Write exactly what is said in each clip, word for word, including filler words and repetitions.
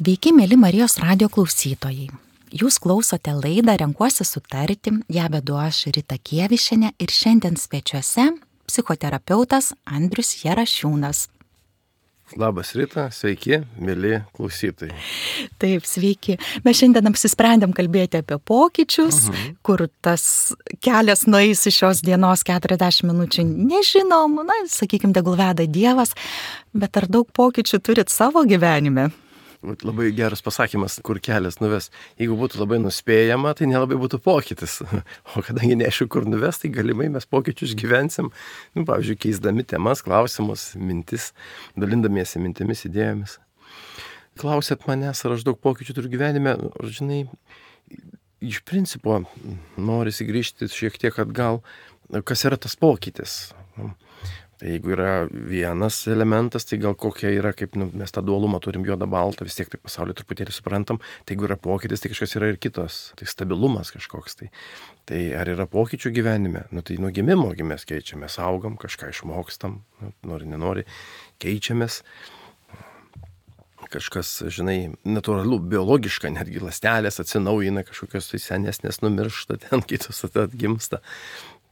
Sveiki, mėly Marijos radijo klausytojai. Jūs klausote laidą Renkuosi sutarti, ją vedu aš Rita Kievišienė ir šiandien svečiuose psichoterapeutas Andrius Jarašiūnas. Labas Rita, sveiki, mėly klausytojai. Taip, sveiki. Mes šiandien apsisprendėm kalbėti apie pokyčius, uh-huh. kur tas kelias nueis iš šios dienos keturiasdešimt minučių, nežinom, na, sakykime, tegul veda Dievas, bet ar daug pokyčių turit savo gyvenime? Labai geras pasakymas, kur kelias nuves. Jeigu būtų labai nuspėjama, tai nelabai būtų pokytis. O kadangi neaišku, kur nuves, tai galimai mes pokyčius gyvensim, nu, pavyzdžiui, keisdami temas, klausimus, mintis, dalindamiesi mintimis, idėjomis. Klausėt manęs, ar aš daug pokyčių turiu gyvenime, žinai, iš principo norisi grįžti šiek tiek atgal, kas yra tas pokytis. Jeigu yra vienas elementas, tai gal kokia yra, kaip nu, mes tą dualumą turim juodą baltą, vis tiek tai pasaulį truputėlį suprantam, tai jeigu yra pokytis, tai kažkas yra ir kitos, tai stabilumas kažkoks. Tai, tai ar yra pokyčių gyvenime? Nu, tai nuo gimimo mes keičiamės, augam, kažką išmokstam, nu, nori, nenori, keičiamės. Kažkas, žinai, natūralu, biologiška, netgi ląstelės atsinaujina, kažkokios tai senesnės numiršta, ten kitos atgimsta.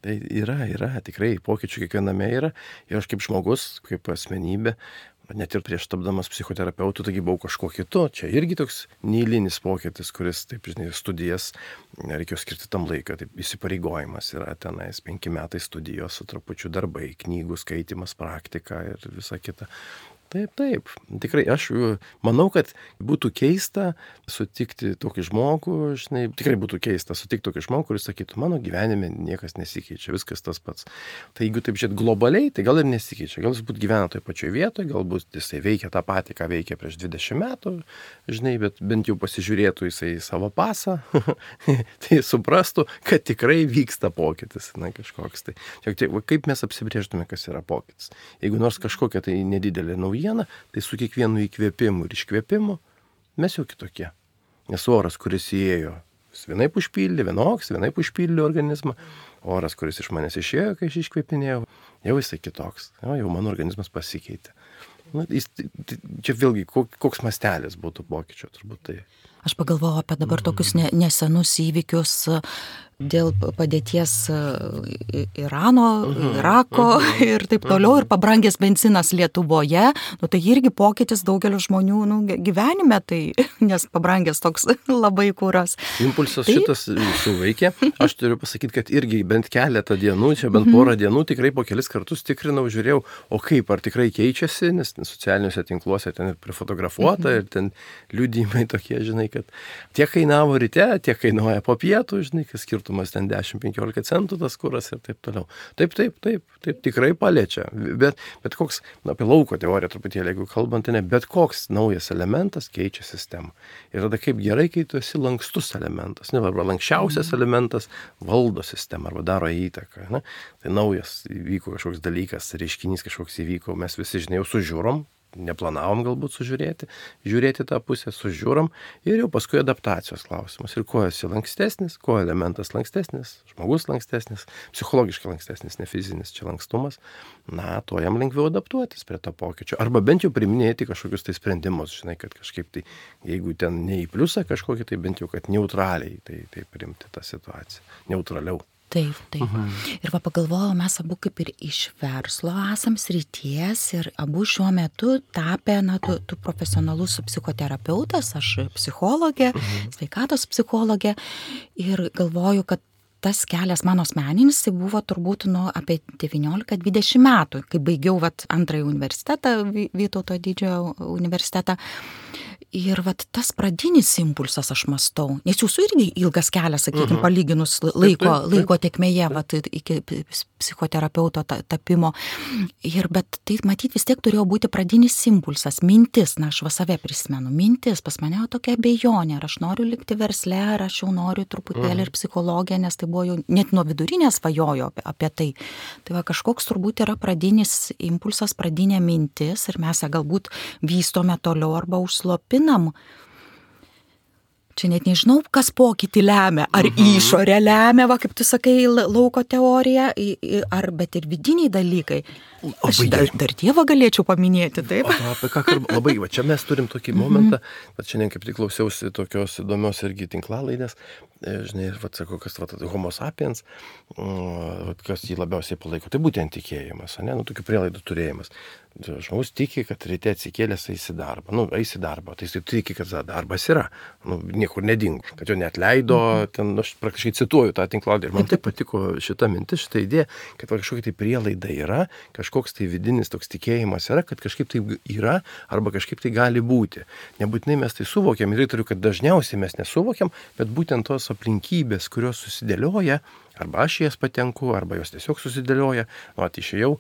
Tai yra, yra, tikrai pokyčių kiekviename yra. Ir aš kaip žmogus, kaip asmenybė, net ir prieš tapdamas psichoterapeutu, taigi buvau kažkuo kitu. Čia irgi toks neeilinis pokytis, kuris, taip, žinai, studijas reikėjo skirti tam laiką. Taip, įsipareigojimas yra tenais penki metai studijos su trupučiu darbai, knygų skaitimas, praktika ir visa kita. Taip, taip. Tikrai aš manau, kad būtų keista sutikti tokį žmogų, žinai, tikrai būtų keista sutikti tokį žmogų, kuris sakytų, mano gyvenime niekas nesikeičia, viskas tas pats. Tai jeigu taip žiūrėt globaliai, tai gal ir nesikeičia. Gal jis būt gyvena toje pačioje vietoje, galbūt jisai veikia tą patį, ką veikia prieš dvidešimt metų, žinai, bet bent jau pasižiūrėtų jisai savo pasą, tai suprastų, kad tikrai vyksta pokytis, na, kažkoks. Tai, kaip mes apsibrėžtume, kas yra pokytis. Jeigu nors kažkokia tai nedidelė nauja, tai su kiekvienu įkvėpimu ir iškvėpimu mes jau kitokie. Nes oras, kuris įėjo, jis vienaip užpildė, vienoks, vienaip užpildė organizmą. Oras, kuris iš manęs išėjo, kai aš iškvėpinėjau, jau jisai kitoks. Jau, jau mano organizmas pasikeitė. Na, jis, čia vėlgi, koks mastelis būtų pokyčio, turbūt tai. Aš pagalvojau apie dabar tokius ne, nesenus įvykius dėl padėties Irano, Irako ir taip toliau, ir pabrangęs benzinas Lietuvoje, nu tai irgi pokytis daugelio žmonių nu, gyvenime, tai, nes pabrangęs toks labai kuras. Impulsas tai šitas suveikė. Aš turiu pasakyti, kad irgi bent keletą dienų, čia bent porą dienų, tikrai po kelis kartus tikrinau, žiūrėjau, o kaip, ar tikrai keičiasi, nes socialiniuose tinkluose ten ir prifotografuota, ir ten liudijimai tokie, žinai, kad tiek kainavo ryte, tiek kainuoja po pietų, žinai, kas skirtumas ten dešimt penkiolika centų tas kuras ir taip toliau. Taip, taip, taip, taip tikrai paliečia. Bet, bet koks, na, apie lauko teoriją truputėlį, jeigu kalbant, tai ne, bet koks naujas elementas keičia sistemą. Ir tada kaip gerai, kai tu esi lankstus elementas, ne, arba lankščiausias elementas valdo sistemą arba daro įtaką. Ne? Tai naujas įvyko kažkoks dalykas, reiškinys kažkoks įvyko, mes visi, žinai, jau sužiūrom, neplanavom galbūt sužiūrėti, žiūrėti tą pusę, sužiūrom ir jau paskui adaptacijos klausimas. Ir kuo esi lankstesnis, kuo elementas lankstesnis, žmogus lankstesnis, psichologiškai lankstesnis, ne fizinis čia lankstumas, na, tuo jam lengviau adaptuotis prie to pokyčio. Arba bent jau priminėti kažkokius tai sprendimus, žinai, kad kažkaip tai, jeigu ten ne į pliusą kažkokį, tai bent jau, kad neutraliai tai, tai priimti tą situaciją, neutraliau. Taip, taip. Uh-huh. Ir va pagalvojau, mes abu kaip ir iš verslo esam srities ir abu šiuo metu tapę, na, tu, tu profesionalus psichoterapeutas, aš psichologė, uh-huh. sveikatos psichologė ir galvoju, kad tas kelias mano asmeninis, tai buvo turbūt nu, apie devyniolika dvidešimt metų, kai baigiau vat, antrąjį universitetą, Vytauto didžiojo universitetą. Ir vat tas pradinis impulsas aš mastau, nes jūsų irgi ilgas kelias, sakykime, uh-huh. palyginus laiko, laiko tekmėje, vat, iki psichoterapeuto tapimo. Ir, bet tai matyti vis tiek turėjo būti pradinis impulsas, mintis, na aš va save prisimenu, mintis, pas mane tokia abejonė, ar aš noriu likti versle, ar aš jau noriu truputėlį uh-huh. ir psichologiją, nes tai buvo jau net nuo vidurinės svajojo apie, apie tai. Tai va kažkoks turbūt yra pradinis impulsas, pradinė mintis ir mes ją galbūt vystome toliau arba užslopiname. Čia net nežinau, kas pokytį lemia, ar mhm. išorė lemia, va, kaip tu sakai, lauko teorija, ar bet ir vidiniai dalykai. Aš dar, dar Dievą galėčiau paminėti, taip? O, apie ką kalbame? Labai, va čia mes turim tokį momentą, bet šiandien kaip tik klausiausi tokios įdomios irgi tinklalaidės, žinai, va sakau, kas va, homo sapiens, va, kas jį labiausiai palaiko, tai būtent tikėjimas, ne, nu, tokių prielaidų turėjimas. Žmogus tiki, kad ryte atsikėlęs eis į darbą, nu, eis į darbą, tai jis tiki, kad darbas yra, nu, niekur nedingo, kad jo neatleido, ten, aš praktiškai cituoju tą tinklalaidę ir man taip patiko šita mintis, šita idėja, kad kažkokia tai prielaida yra, kažkoks tai vidinis toks tikėjimas yra, kad kažkaip tai yra arba kažkaip tai gali būti. Nebūtinai mes tai suvokiam ir įtariu, kad dažniausiai mes nesuvokiam, bet būtent tos aplinkybės, kurios susidėlioja, arba aš jas patenku, arba jos tiesiog susidėlioja, nu, tai išėjau,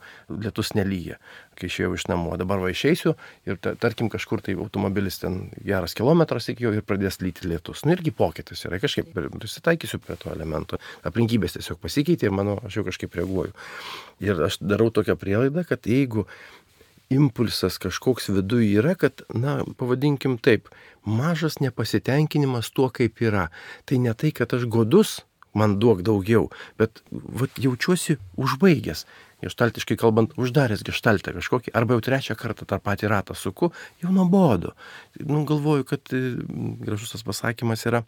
lietus nelyja, kai išėjau iš namų, dabar va išeisiu ir ta, tarkim kažkur tai automobilis ten geras kilometras iki jo ir pradės lyti lietus. Nu irgi pokytis yra, kažkaip susitaikysiu prie to elemento, aplinkybės tiesiog pasikeitė ir mano, aš jau kažkaip reaguoju. Ir aš darau tokią prielaidą, kad jeigu impulsas kažkoks viduje yra, kad, na, pavadinkim taip, mažas nepasitenkinimas tuo, kaip yra. Tai ne tai, kad aš godus, man duok daugiau, bet vat, jaučiuosi užbaigęs. Geštaltiškai kalbant, uždaręs geštaltą kažkokį, arba jau trečią kartą tą patį ratą suku, jau nuobodu. Nu, galvoju, kad gražus tas pasakymas yra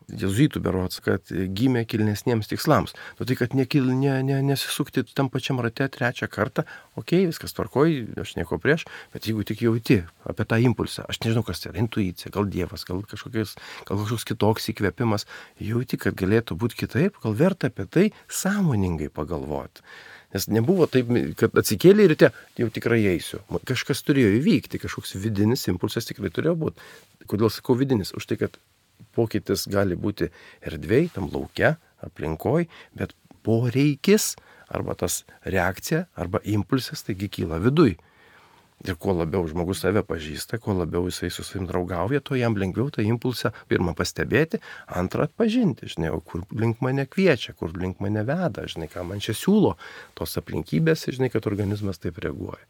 jėzuitų berods, kad gimė kilnesniems tikslams. Nu, tai, kad nekil, ne, ne, nesisukti tam pačiam rate trečią kartą, okei, okay, viskas tvarkoj, aš nieko prieš, bet jeigu tik jauti apie tą impulsą, aš nežinau, kas tai yra, intuicija, gal Dievas, gal kažkokios, gal kažkoks kitoks įkvėpimas, jauti, kad galėtų būti kitaip, gal verta apie tai sąmoningai pagalvoti. Nes nebuvo taip, kad atsikėlė ir te jau tikrai eisiu. Kažkas turėjo įvykti, kažkoks vidinis impulsas tikrai turėjo būti. Kodėl sakau vidinis? Už tai, kad pokytis gali būti erdvėj, tam lauke, aplinkoj, bet poreikis arba tas reakcija arba impulsas taigi kyla viduj. Ir kuo labiau žmogus save pažįsta, kuo labiau jisai su savim draugauja, to jam lengviau tą impulsą pirmą pastebėti, antrą atpažinti, žinai, o kur link mane kviečia, kur link mane veda, žinai, ką man čia siūlo tos aplinkybės, žinai, kad organizmas taip reaguoja.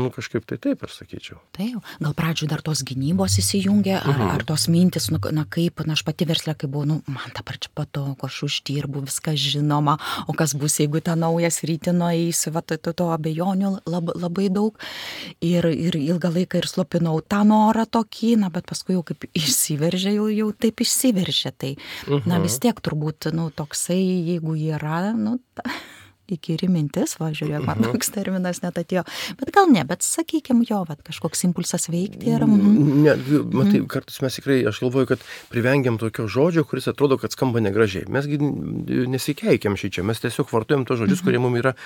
Nu, kažkaip tai taip aš sakyčiau. Taip, gal pradžioj dar tos gynybos įsijungia, ar, mhm. ar tos mintis, nu, na kaip, na aš pati verslė, kai buvau, nu, man dabar čia patogu, aš uždirbu, viskas žinoma, o kas bus, jeigu tą naują sritį nueisiu, va, to, to, to abejonių lab, labai daug. Ir, ir ilgą laiką ir slopinau tą norą tokį, na, bet paskui jau kaip išsiveržė, jau, jau taip išsiveržė. Tai, uh-huh. na, vis tiek turbūt, nu, toksai, jeigu yra, nu, ta, įkyri mintis, va, žiūrėjau, man uh-huh. toks terminas net atėjo. Bet gal ne, bet sakykime jo, va, kažkoks impulsas veikti ir... Mm. Ne, matai, kartais mes tikrai, aš galvoju, kad privengiam tokio žodžio, kuris atrodo, kad skamba negražiai. Mesgi nesikeikiam šičia, mes tiesiog vartojam tos žodžius, uh-huh. kurie mums yra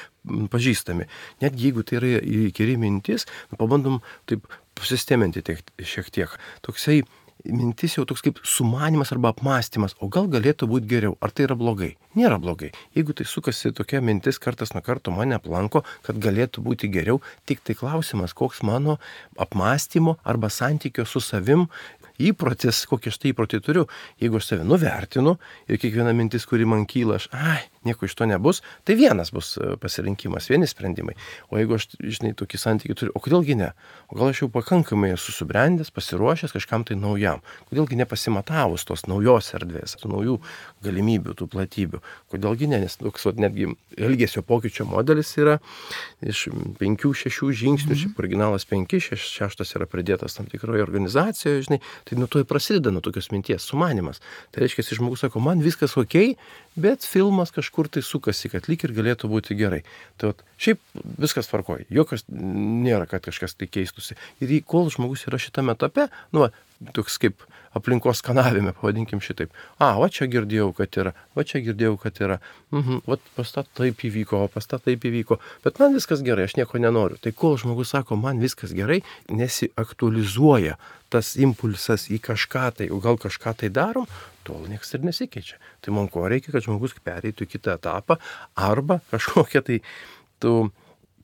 pažįstami. Net jeigu tai yra įkyri mintis, pabandom taip pasisteminti tiek, šiek tiek. Toksai mintis jau toks kaip sumanimas arba apmąstymas, o gal galėtų būti geriau, ar tai yra blogai? Nėra blogai. Jeigu tai sukasi tokia mintis kartas nuo karto mane aplanko, kad galėtų būti geriau, tik tai klausimas, koks mano apmąstymo arba santykio su savim įprotis, kokį aš tai įprotį turiu. Jeigu aš save nuvertinu ir kiekviena mintis, kuri man kyla, aš, ai, nieko iš to nebus, tai vienas bus pasirinkimas, vieni sprendimai. O jeigu aš, žinai, tokį santykį turiu, o kodėlgi ne? O gal aš jau pakankamai esu subrendęs, pasiruošęs kažkam tai naujam? Kodėlgi nepasimatavus tos naujos erdvės, tų naujų galimybių, tų platybių? Kodėlgi ne? Nes toks, vat, netgi elgesio pokyčio modelis yra iš penkių, šešių žingsnių, mm-hmm. šiaip originalas penki, šeš, šeštas yra pridėtas tam tikroje organizacijoje, žinai, tai nuo to ir prasideda nuo tokios minties, sumanimas. Tai reiškia, žmogus sako, man viskas okei, bet filmas kažkur tai sukasi, kad lyg ir galėtų būti gerai. Tai vat, šiaip viskas tvarkoja, jokios nėra, kad kažkas tai keistusi. Ir kol žmogus yra šitame etape, nu, va, toks kaip aplinkos skanavime, pavadinkim šitaip. A, va čia girdėjau, kad yra, va čia girdėjau, kad yra. Mhm, va pas tą taip įvyko, o pas tą taip įvyko. Bet man viskas gerai, aš nieko nenoriu. Tai kol žmogus sako, man viskas gerai, nesiaktualizuoja tas impulsas į kažką tai, o gal kažką tai darom, tol niekas ir nesikeičia. Tai man ko reikia, kad žmogus pereitų į kitą etapą arba kažkokia tai tu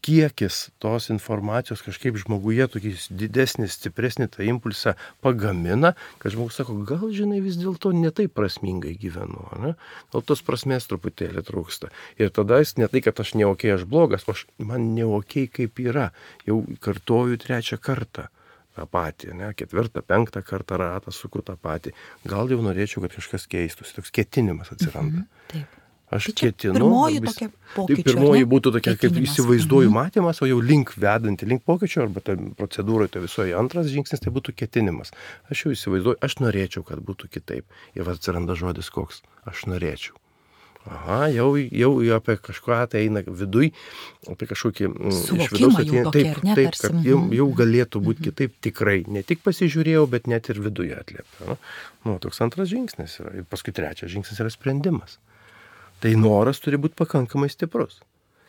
kiekis tos informacijos kažkaip žmoguje tokį didesnį, stipresnį tą impulsą pagamina, kad žmogus sako, gal žinai vis dėlto ne taip prasmingai gyvenu, ne? Gal tos prasmės truputėlį trūksta. Ir tada jis ne tai, kad aš ne okei, aš blogas, o aš, man ne okei kaip yra. Jau kartoju trečią kartą tą patį, ne? Ketvirtą, penktą kartą ratą suku tą patį. Gal jau norėčiau, kad kažkas keistųsi, toks ketinimas atsiranda. Mhm, taip. Aš Tai čia ketinu. pirmoji arba įs- tokia Tai pokyčių, pirmoji ar ne? būtų tokia, kaip Ketinimas. įsivaizduoju Mhm. matymas, o jau link vedanti, link pokyčio, arba ta procedūroje, tai visoje antras žingsnis, tai būtų ketinimas. Aš jau įsivaizduoju, aš norėčiau, kad būtų kitaip. Ir va atsiranda žodis koks. Aš norėčiau. Aha, jau, jau apie kažką tai eina viduj, apie kažkokį mm, iš Suvokimą vidaus jau ateina. tokį, Taip, ar ne, taip, tarsi, kad jau, mhm. jau galėtų būti kitaip tikrai. Ne tik pasižiūrėjau, bet net ir viduje atliepia. Nu, toks antras žingsnis yra. Ir paskui trečias žingsnis yra sprendimas. Tai noras turi būti pakankamai stiprus.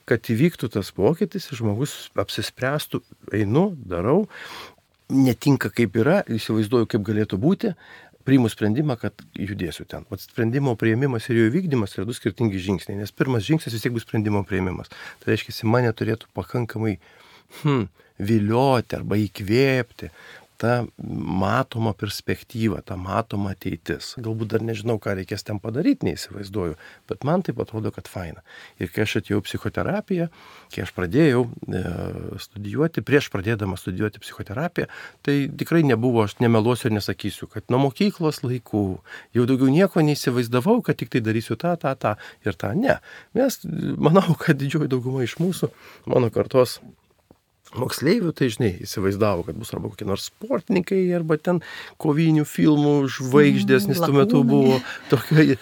Kad įvyktų tas pokytis ir žmogus apsispręstų, einu, darau, netinka kaip yra, įsivaizduoju, kaip galėtų būti, priimu sprendimą, kad judėsiu ten. O sprendimo priėmimas ir jo įvykdymas yra du skirtingi žingsniai, nes pirmas žingsnis vis tiek bus sprendimo priėmimas. Tai reiškia, mane turėtų pakankamai hmm, vilioti arba įkvėpti ta matoma perspektyva, ta matoma ateitis. Galbūt dar nežinau, ką reikės ten padaryti, neįsivaizduoju, bet man taip atrodo, kad faina. Ir kai aš atėjau psichoterapiją, kai aš pradėjau e, studijuoti, prieš pradėdama studijuoti psichoterapiją, tai tikrai nebuvo, aš nemeluosiu ir nesakysiu, kad nuo mokyklos laikų jau daugiau nieko neįsivaizdavau, kad tik tai darysiu tą, tą, tą ir tą. Ne. Mes, manau, kad didžioji dauguma iš mūsų, mano kartos moksleivių, tai žinai, įsivaizdavo, kad bus arba kokie nors sportininkai, arba ten kovinių filmų žvaigždės, nes tuo metu buvo tokie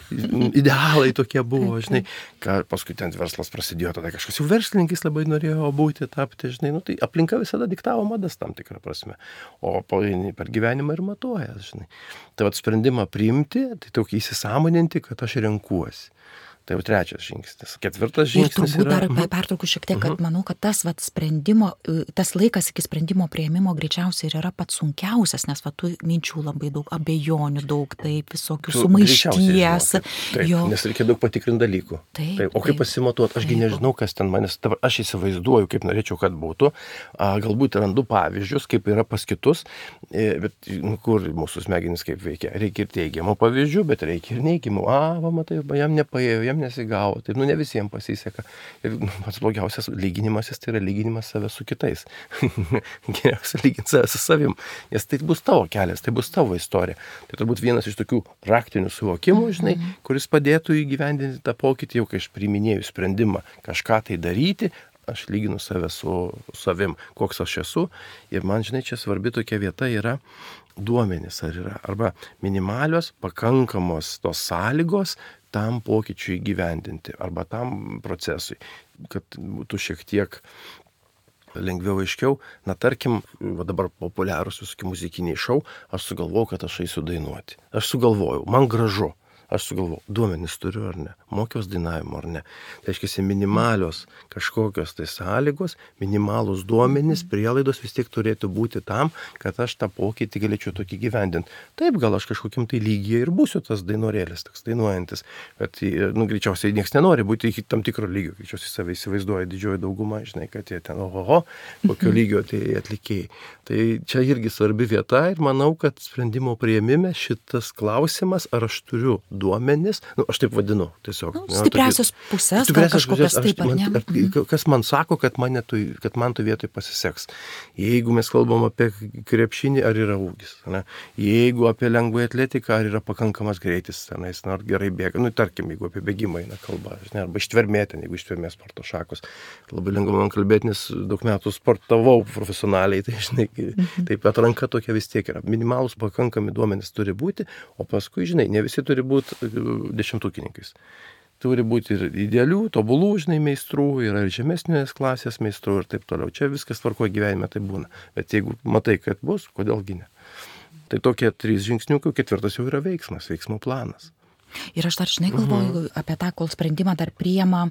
idealai tokie buvo, žinai, ką paskui ten verslas prasidėjo, tada kažkas jau verslininkais labai norėjo būti, tapti, žinai, nu tai aplinka visada diktavo madas tam tikrą prasme, o per gyvenimą ir matuoja, žinai. Tai vat sprendimą priimti, tai tokį įsisąmoninti, kad aš renkuosi. Tai jau trečias žingsnis. Ketvirtas žingsnis yra... Ir turbūt yra... dar pertraukiu šiek tiek, kad manau, kad tas vat, sprendimo, tas laikas iki sprendimo priėmimo greičiausiai ir yra pats sunkiausias, nes va, tų minčių labai daug, abejonių daug, taip, visokių Tu sumaišties. Taip, jo. Nes reikia daug patikrinti dalykų. Taip, taip, o kaip pasimatuoti, ašgi nežinau, kas ten manęs, aš įsivaizduoju, kaip norėčiau, kad būtų. A, galbūt randu pavyzdžius, kaip yra pas kitus, bet nu, kur mūsų smegenys kaip veikia. Reikia ir teigiamų pavyzdžių, bet reikia ir neigiamų. A, va, matai, jam nepaėjo, jam nesigavo, taip, nu ne visiems pasiseka. Ir nu, pats blogiausias lyginimasis tai yra lyginimas save su kitais. Geriausia lyginti save su savim, nes tai bus tavo kelias, tai bus tavo istorija. Tai turbūt vienas iš tokių praktinių suvokimų, žinai, kuris padėtų įgyvendinti tą pokytį, jau kai aš priiminėjau sprendimą kažką tai daryti, aš lyginu save su savim, koks aš esu. Ir man, žinai, čia svarbi tokia vieta yra duomenys, ar yra, arba minimalios, pakankamos tos sąlygos tam pokyčiui įgyvendinti, arba tam procesui, kad būtų šiek tiek lengviau aiškiau. Na, tarkim, va dabar populiarūs visokie muzikiniai šou, aš sugalvojau, kad aš eisiu dainuoti. Aš sugalvojau, man gražu. Aš sugalvojau, duomenys turiu ar ne, mokiaus dainavimo ar ne. Tai reiškia, minimalios kažkokios tai sąlygos, minimalūs duomenys, prielaidos vis tiek turėtų būti tam, kad aš tą pokytį galėčiau tokį gyvendinti. Taip, gal aš kažkokiam tai lygyje ir būsiu tas dainorėlis, toks dainuojantis, bet, nu, greičiausiai niekas nenori būti iki tam tikro lygio, greičiausiai save įsivaizduoja didžioji dauguma, žinai, kad jie ten, oho, kokio lygio tai atlikėjai. Tai čia irgi svarbi vieta ir manau, kad sprendimo priėmime šitas klausimas, ar aš turiu duomenis, nu, aš taip vadinu, tiesiog. Nu, stipriausios pusės, gal kažkokias taip, ar ne? Ar, kas man sako, kad man, tu, kad man tu vietoj pasiseks. Jeigu mes kalbam apie krepšinį, ar yra ūgis. Ne? Jeigu apie lengvąją atletiką, ar yra pakankamas greitis, tenais, ar gerai bėga. Nu, tarkim, jeigu apie bėgimą eina kalba, žinai, arba ištvermė ten, jeigu ištvermė sporto šakos. Labai lengva man kalbėti, nes daug metų sportavau profesionaliai, tai žinai, mhm. taip atranka tokia vis tiek yra. Minimalus pakankami duomenys turi būti, o paskui, žinai, ne visi turi būti dešimtukininkais. Turi būti ir idealių, tobulų, žinai, meistrų, yra ir žemesnės klasės meistrų ir taip toliau. Čia viskas tvarkoje gyvenime tai būna. Bet jeigu matai, kad bus, kodėlgi ne? Tai tokie trys žingsniukai, ketvirtas jau yra veiksmas, veiksmo planas. Ir aš dar, žinai, galvoju uh-huh. apie tą, kol sprendimą dar priima,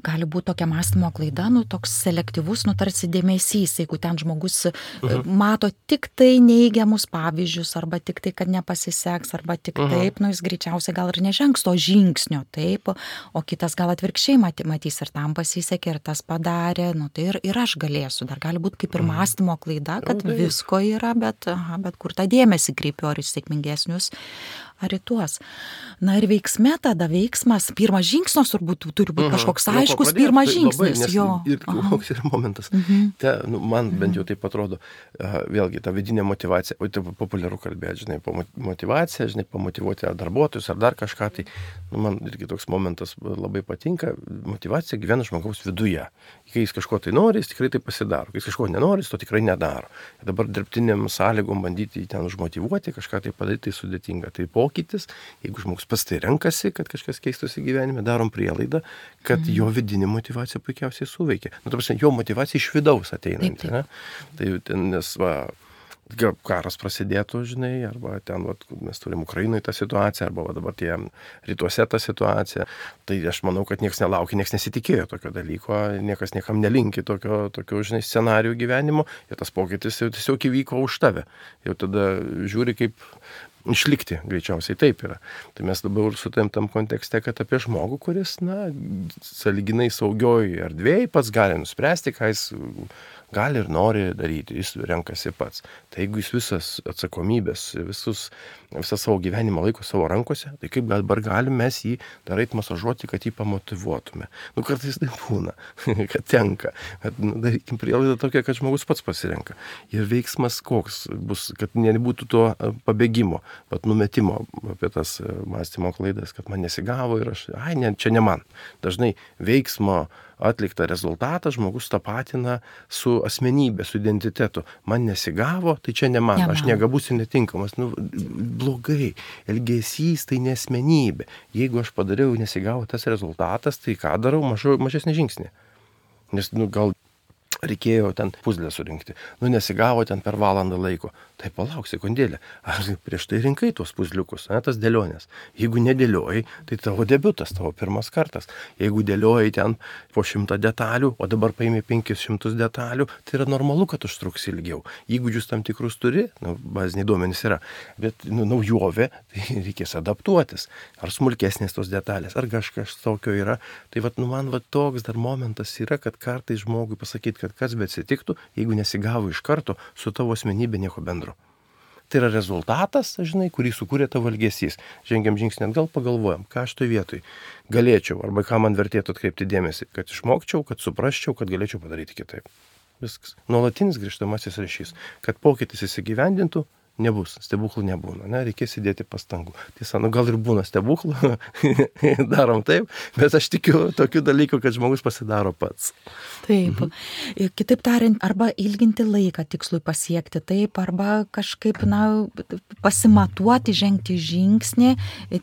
gali būti tokia mąstymo klaida, nu, toks selektyvus, nu, tarsi dėmesys, jeigu ten žmogus uh-huh. mato tik tai neigiamus pavyzdžius, arba tik tai, kad nepasiseks, arba tik uh-huh. taip, nu, jis greičiausiai gal ir nežengs to žingsnio, taip, o kitas gal atvirkščiai matys ir tam pasisekė, ir tas padarė, nu, tai ir, ir aš galėsiu, dar gali būti kaip ir mąstymo klaida, kad visko yra, bet, aha, bet kur tą dėmesį kreipiu, ar į sėkmingesnius, ar į tuos. Na ir veiksme tada veiksmas, pirmas žingsnis turbūt turi būti kažkoks Mhm. aiškus, Nuo ko pirmas pradėt? Tai labai, žingsnis, nes jo. Ir koks yra momentas. Te, nu, man bent jau taip atrodo, a, vėlgi ta vidinė motyvacija, o tai populiaru kalbėti, žinai, po motyvaciją, žinai, pamotyvuoti ar darbuotojus, ar dar kažką, tai nu, man irgi toks momentas labai patinka, motyvacija gyvena žmogaus viduje. Kai jis kažko tai nori, jis tikrai tai pasidaro, kai jis kažko nenori, jis to tikrai nedaro. Ir dabar dirbtiniam sąlygom bandyti jį ten užmotyvuoti, kažką tai padaryti, tai sudėtinga. Tai pokytis, jeigu žmogus pas tai renkasi, kad kažkas keistųsi gyvenime, darom prielaidą, kad mm. jo vidinė motyvacija puikiausiai suveikia. Nu, ta prasme, jo motyvacija iš vidaus ateinanti. Ne? Tai ten, nes va, karas prasidėtų, žinai, arba ten, va, mes turim Ukrainoje tą situaciją, arba va, dabar tie rytuose tą situaciją. Tai aš manau, kad niekas nelaukia, niekas nesitikėjo tokio dalyko, niekas niekam nelinki tokio, tokio žinai, scenarijų gyvenimo, ir tas pokytis jau tiesiog įvyko už tave. Jau tada žiūri, kaip išlikti, greičiausiai taip yra. Tai mes dabar sutarėm tam kontekste, kad apie žmogų, kuris, na, sąlyginai saugioj erdvėj pats gali nuspręsti, ką jis gali ir nori daryti, jis renkasi pats. Tai jeigu jis visas atsakomybės, visus, visą savo gyvenimą laiko savo rankose, tai kaip dabar galim mes jį dar eit masažuoti, kad jį pamotyvuotume. Nu, kartais tai būna, kad tenka. Bet, nu, darykim prielaidą tokia, kad žmogus pats pasirenka. Ir veiksmas koks bus, kad nebūtų to pabėgimo, bet numetimo apie tas mąstymo klaidas, kad man nesigavo ir aš, ai, ne, čia ne man. Dažnai veiksmo atliktą rezultatą žmogus tapatina su asmenybė, su identitetu. Man nesigavo, tai čia ne man, ne man. Aš negabus ir netinkamas. Nu, blogai. Elgesys tai ne asmenybė. Jeigu aš padariau, nesigavo tas rezultatas, tai ką darau, mažu, mažesnį žingsnį. Nes, nu, gal reikėjo ten puzlę surinkti. Nu, nesigavo ten per valandą laiko. Tai palauk sekundėlę. Ar prieš tai rinkai tuos puzliukus, ne, tas dėlionės. Jeigu nedėliojai, tai tavo debiutas, tavo pirmas kartas. Jeigu dėliojai ten po šimtą detalių, o dabar paimi penkis šimtus detalių, tai yra normalu, kad užtruks ilgiau. Įgūdžius tam tikrus turi, nu, baziniai duomenys yra, bet nu, naujovė, tai reikės adaptuotis. Ar smulkesnės tos detalės, ar kažkas tokio yra. Tai vat, nu, man vat, toks dar momentas yra, kad kartais žmogui pasakyti, kad kas bet atsitiktų, jeigu nesigavo iš karto, su tavo asmenybė nieko bendro. Tai yra rezultatas, žinai, kurį sukūrė tavo elgesys. Žengiam žingsnį atgal, pagalvojam, ką aš toj vietoj galėčiau, arba ką man vertėtų atkreipti dėmesį, kad išmokčiau, kad suprasčiau, kad galėčiau padaryti kitaip. Viskas. Nuolatinis grįžtamasis ryšys, kad pokytis įsigyvendintų, nebus, stebuklų nebūna, ne, reikės įdėti pastangų. Tiesa, nu gal ir būna stebuklų, darom taip, bet aš tikiu tokių dalykų, kad žmogus pasidaro pats. Taip, mhm. Kitaip tariant, arba ilginti laiką tikslui pasiekti, taip, arba kažkaip, na, pasimatuoti, žengti žingsnį,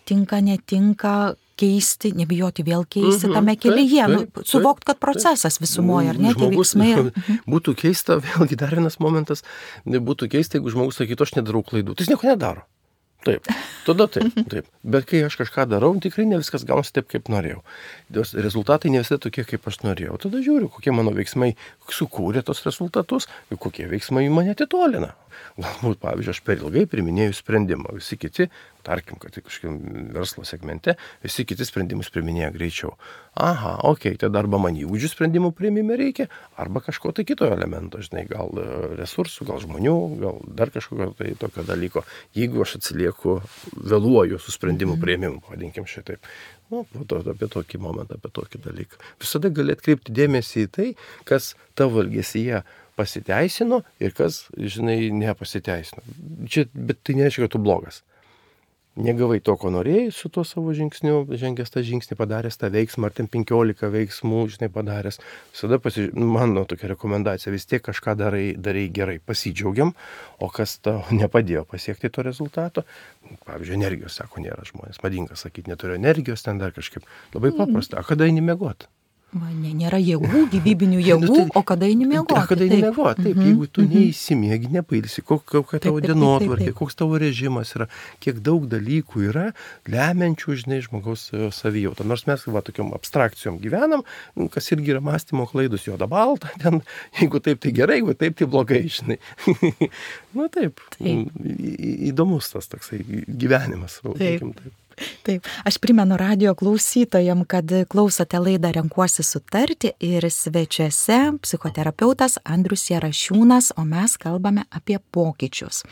tinka, netinka, keisti, nebijoti vėl keisti mhm, tame kelyje, taip, taip, suvokt, kad procesas visumoje, ar ne, tie veiksmai. Mhm. Būtų keista, vėlgi dar vienas momentas, būtų keista, jeigu žmogus sakytų, aš nedarau klaidų, tai jis nieko nedaro. Taip, tada taip, taip. Bet kai aš kažką darau, tikrai ne viskas gaunasi taip, kaip norėjau. Rezultatai ne visai tokie, kaip aš norėjau. Tada žiūriu, kokie mano veiksmai sukūrė tos rezultatus ir kokie veiksmai mane atitolina. Galbūt, pavyzdžiui, aš per ilgai priminėjau sprendimą. Visi kiti, tarkim, kad kažkokiam verslo segmente, visi kiti sprendimus priminėja greičiau. Aha, okei, okay, tai arba man įgūdžių sprendimų priimime reikia, arba kažko tai kito elemento, žinai, gal resursų, gal žmonių, gal dar kažkokio tai tokio dalyko. Jeigu aš atsilieku, vėluoju su sprendimų priėmimu, vadinkim šitaip. Nu, to, apie tokį momentą, apie tokį dalyką. Visada gali atkreipti dėmesį į tai, kas tavo elgesyje pasiteisino ir kas, žinai, nepasiteisino. Čia, bet tai nereiškia, kad tu blogas. Negavai to, ko norėjai su tuo savo žingsniu, žengęs tą žingsnį, padaręs tą veiksmą, ar ten penkiolika veiksmų, žinai, padaręs. Visada, pasiž... mano tokia rekomendacija, vis tiek kažką darai, darai gerai, pasidžiaugiam, o kas tau nepadėjo pasiekti to rezultato, pavyzdžiui, energijos, sako, nėra žmonės, madinga sakyti, neturiu energijos, ten dar kažkaip labai paprasta, o kada eini miegoti? Va, ne, nėra jėgų, gyvybinių jėgų, nu, tai, o kada eini miegoti? O kada eini miegoti, taip, mm-hmm. jeigu tu neįsimiegi, nepailsi, kokia tavo dienotvarkė, koks tavo režimas yra, kiek daug dalykų yra lemiančių, žinai, žmogaus savijautą. Nors mes, va, tokiom abstrakcijom gyvenam, kas irgi yra mąstymo klaidus, juoda balta, ten, jeigu taip, tai gerai, jeigu taip, tai blogai, žinai. Nu taip, taip. Į, įdomus tas toksai gyvenimas. Taip. Taip. Taip, aš primenu radijo klausytojam, kad klausote laidą Renkuosi sutarti ir svečiuose psichoterapeutas Andrius Jarašiūnas, o mes kalbame apie pokyčius.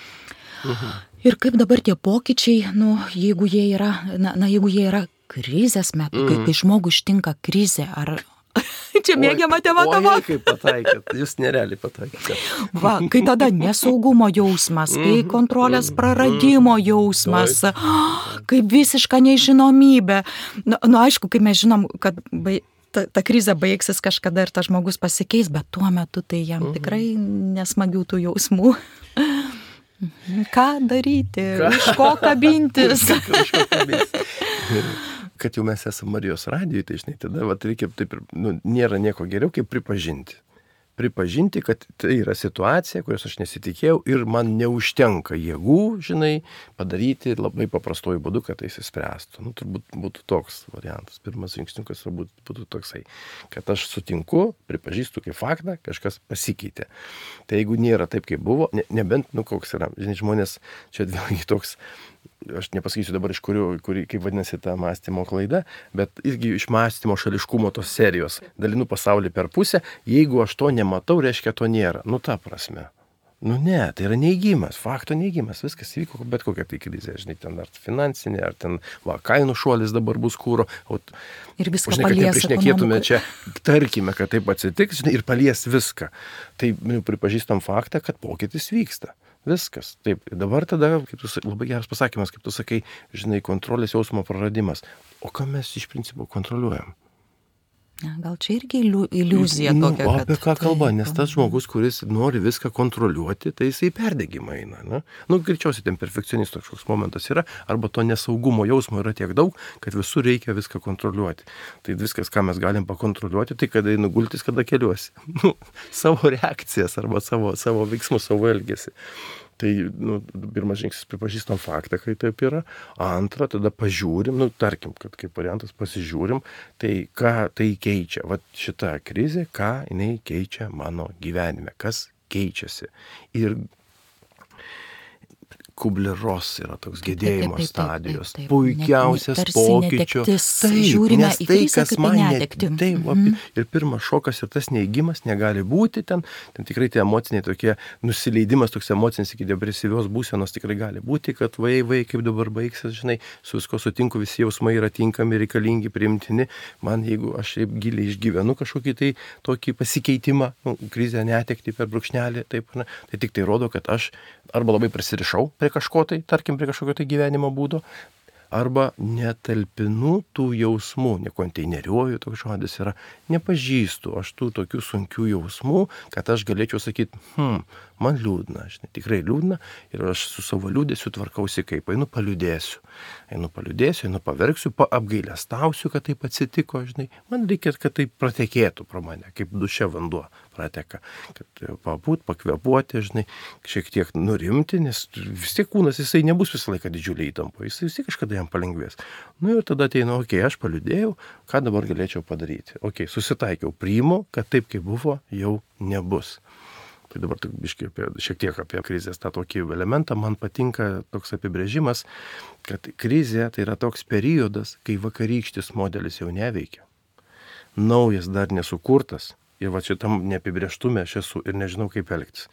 Mhm. Ir kaip dabar tie pokyčiai, nu, jeigu jie yra, na, na jeigu jie yra krizės metu, mm. kai, kai žmogų ištinka krizė, ar... Čia mėgiama tema tavo. Oi, kaip pataikėt, jūs nerealiai pataikėt. Va, kai tada nesaugumo jausmas, kai kontrolės praradimo jausmas, kai visiška nežinomybė. Na, nu, aišku, kai mes žinom, kad bai, ta, ta krizė baigsis kažkada ir tas žmogus pasikeis, bet tuo metu tai jam tikrai nesmagių tų jausmų. Ką daryti? Ką? Iš ko kabintis? Iš ko kabintis? Kad jau mes esame Marijos radijui, tai žinai, tada vat, reikia, taip, nu, nėra nieko geriau, kaip pripažinti. Pripažinti, kad tai yra situacija, kurios aš nesitikėjau ir man neužtenka jėgų, žinai, padaryti labai paprastuoju būdu, kad tai įsispręstų. Nu, turbūt būtų toks variantas. Pirmas žingsniukas turbūt būtų toksai, kad aš sutinku, pripažįstu kaip faktą, kažkas pasikeitė. Tai jeigu nėra taip, kaip buvo, ne, nebent, nu, koks yra, žinai, žmonės, čia vėlgi toks, aš nepasakysiu dabar iš kurių, kuri, kaip vadinasi ta mąstymo klaida, bet irgi iš mąstymo šališkumo tos serijos. Dalinu pasaulį per pusę, jeigu aš to nematau, reiškia to nėra. Nu, ta prasme. Nu, ne, tai yra neigimas, fakto neigimas, viskas įvyko, bet kokia tai krizė, žinai, ten ar finansinė, ar ten, va, kainų šuolis dabar bus kūro. O, ir viską žinai, palies. Kad neprišnekėtume čia, tarkime, kad taip atsitiks, žinai, ir palies viską. Tai nu, pripažįstam faktą, kad pokytis vyksta. Viskas. Taip. Dabar tada, kaip tu, labai geras pasakymas, kaip tu sakai, žinai, kontrolės jausmo praradimas. O ką mes iš principo kontroliuojam? Ja, gal čia irgi iliuzija nu, tokia. O apie ką kad... kalba? Nes tas žmogus, kuris nori viską kontroliuoti, tai jisai perdegimą eina. Ne? Nu, greičiausiai ten perfekcionistas kažkoks momentas yra, arba to nesaugumo jausmo yra tiek daug, kad visur reikia viską kontroliuoti. Tai viskas, ką mes galim pakontroliuoti, tai kada einu gultis, kada keliuosi. Nu, savo reakcijas arba savo, savo veiksmus, savo elgesį. Tai, nu, pirmas žingsnis pripažįstam faktą, kai taip yra. Antra, tada pažiūrim, nu, tarkim, kad kaip variantas pasižiūrim, tai ką tai keičia. Vat šita krizė, ką jinai keičia mano gyvenime, kas keičiasi. Ir Kubler-Ross yra toks gedėjimo taip, taip, taip, stadijos, taip, taip, taip. Puikiausias net, pokyčio. Taip, žiūrime į tai, krizę kaip į netektį. Taip, mm-hmm. Ir pirmas šokas ir tas neigimas negali būti ten, ten tikrai tie emociniai tokie, nusileidimas toks emocinis iki depresyvios būsenos tikrai gali būti, kad vai, vai, kaip dabar baigsis, žinai, su visko sutinku, visi jausmai yra tinkami, reikalingi, priimtini. Man, jeigu aš giliai išgyvenu kažkokį tai tokį pasikeitimą, nu, krizę, netektį per brūkšnelį, taip, ne, tai tik tai rodo, kad aš arba labai prisirišau prie kažko tai, tarkim, prie kažkokio tai gyvenimo būdo, arba netalpinu tų jausmų, nekonteineriuoju, toks žodis yra, nepažįstu aš tų tokių sunkių jausmų, kad aš galėčiau sakyti, hm, man liūdna, žinai, tikrai liūdna ir aš su savo liūdėsiu tvarkausi kaip, einu paliūdėsiu, einu paliūdėsiu, einu paverksiu, apgailestausiu, kad taip atsitiko, žinai, man reikia, kad tai pratekėtų pro mane, kaip duše vanduo prateka, kad pabūt, pakvėpuoti, žinai, šiek tiek nurimti, nes vis tiek kūnas, jisai nebus visą laiką didžiuliai įtampo, jisai vis tiek kažkada jam palengvės. Nu ir tada ateina, okei, okay, aš paliūdėjau, ką dabar galėčiau padaryti. Okei, okay, susitaikiau, priimu, kad taip, kaip buvo, jau nebus. Tai dabar biškai apie, šiek tiek apie krizės tą tokį elementą. Man patinka toks apibrėžimas, kad krizė tai yra toks periodas, kai vakarykštis modelis jau neveikia. Naujas dar nesukurtas. Ir va šitam neapibrėžtume aš esu ir nežinau, kaip elgtis.